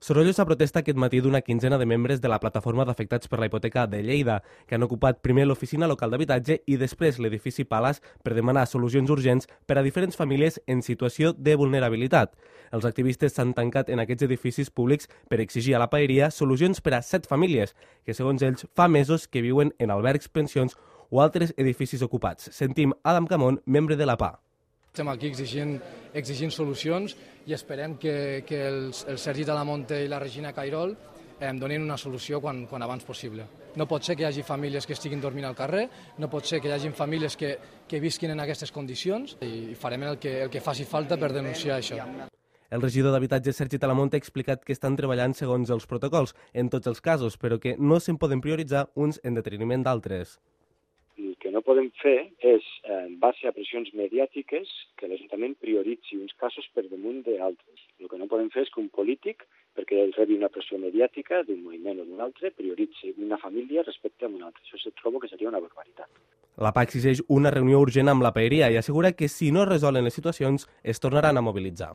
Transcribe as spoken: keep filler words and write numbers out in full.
Sorollosa protesta aquest matí d'una quinzena de membres de la plataforma d'afectats per la hipoteca de Lleida, que han ocupat primer l'oficina local d'habitatge i després l'edifici Palas per demanar solucions urgents per a diferents famílies en situació de vulnerabilitat. Els activistes s'han tancat en aquests edificis públics per exigir a la paeria solucions per a set famílies, que segons ells fa mesos que viuen en albergs, pensions o altres edificis ocupats. Sentim Adam Camón, membre de la P A. Estem aquí exigint, exigint solucions i esperem que, que els, el Sergi Talamonte i la Regina Cairol eh, donin una solució quan, quan abans possible. No pot ser que hi hagi famílies que estiguin dormint al carrer, no pot ser que hi hagi famílies que, que visquin en aquestes condicions i farem el que, el que faci falta per denunciar això. El regidor d'Habitatge, Sergi Talamonte, ha explicat que estan treballant segons els protocols en tots els casos, però que no se'n poden prioritzar uns en detriment d'altres. El que no podem fer és, en base a pressions mediàtiques, que l'Ajuntament prioritzi uns casos per damunt d'altres. El que no podem fer és que un polític, perquè ell rebi una pressió mediàtica d'un moviment o d'un altre, prioritzi una família respecte a una altra. Això se trobo que seria una barbaritat. La P A exigeix una reunió urgent amb la paeria i assegura que si no es resolen les situacions es tornaran a mobilitzar.